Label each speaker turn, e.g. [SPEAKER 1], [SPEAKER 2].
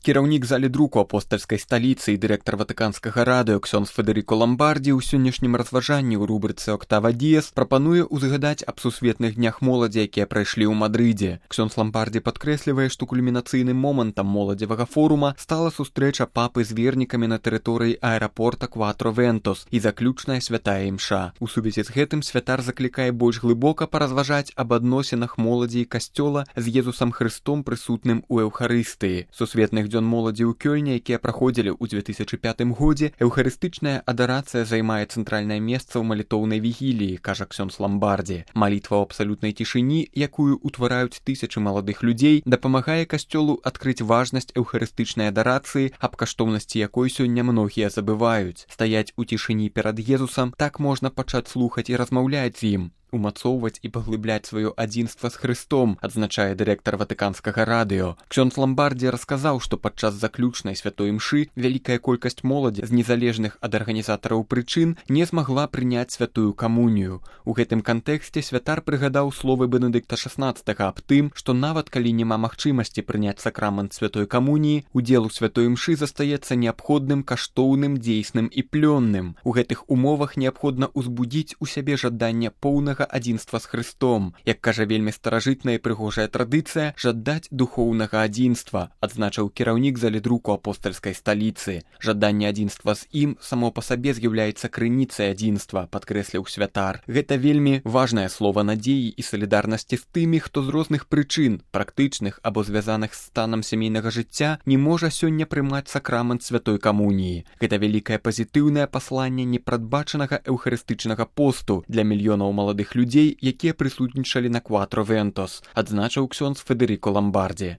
[SPEAKER 1] Кіраўнік залі друку апостальскай сталіцы і дырэктар ватыканскага радыё ксёндз Федэріко Ламбардзі ў сённяшнім разважанні ў рубрыцы «Октава Діес» прапануе ўзгадаць аб сусветных днях моладзі, якія прайшлі ў Мадрыдзе. Ксёндз Ламбардзі падкрэслівае, што кульмінацыйным момантам моладзевага форума стала сустрэча папы з вернікамі на тэрыторыі аэрапорта Кватро-Вентос і заключная святая імша. У сувязі з гэтым святар заклікае больш глыбока паразважаць аб адносінах моладзі і касцёла з Езусам Хрыстом, прысутным у Эўхарыстыі. Сусветных дзён моладзі ў Кёльне, якія праходзілі ў 2005 годзе, эўхарыстычная адарацыя займае цэнтральнае месца ў малітоўнай вігіліі, кажа ксёндз Ламбардзі. Малітва ў абсалютнай цішыні, якую ўтвараюць тысячы маладых людзей, дапамагае касцёлу адкрыць важнасць эўхарыстычнай адарацыі, аб каштоўнасці якой сёння многія забываюць. Стаяць у цішыні перад Езусам, так можна пачаць слухаць і размаўляць з ім, умацоўваць і паглыбляць сваё адзінства з Хрыстом, адзначае дырэктар ватыканскага радыё. Ксёндз Ламбардзі расказаў, што падчас заключнай святой імшы вялікая колькасць моладзі з незалежных ад арганізатараў прычын не змагла прыняць святую камунію. У гэтым кантэксце святар прыгадаў словы Бенедыкта XVI аб тым, што нават калі няма магчымасці прыняць сакрамент святой камуніі, удзел у святой імшы застаецца неабходным, каштоўным, дзейсным і плённым. У гэтых умовах неабходна ўзбудзіць у сябе жаданне поўнага адзінства з Хрыстом. Як кажа вельмі старажытная і прыгожая традыцыя, жадаць духоўнага адзінства, адзначыў кіраўнік залі друку апостальскай сталіцы. Жаданне адзінства з ім само па сабе з'яўляецца крыніцай адзінства, падкрэсліў святар. Гэта вельмі важнае слова надзеі і салідарнасці з тымі, хто з розных прычын, практычных або звязаных з станам сямейнага жыцця, не можа сёння прымаць сакрамент святой камуніі. Гэта вялікае пазітыўнае пасланне непрадбачанага эўхарыстычнага посту для мільёнаў маладых людзей, якія прысутнічалі на Кватро-Вентос, адзначыў ксёндз Федэріко Ламбардзі.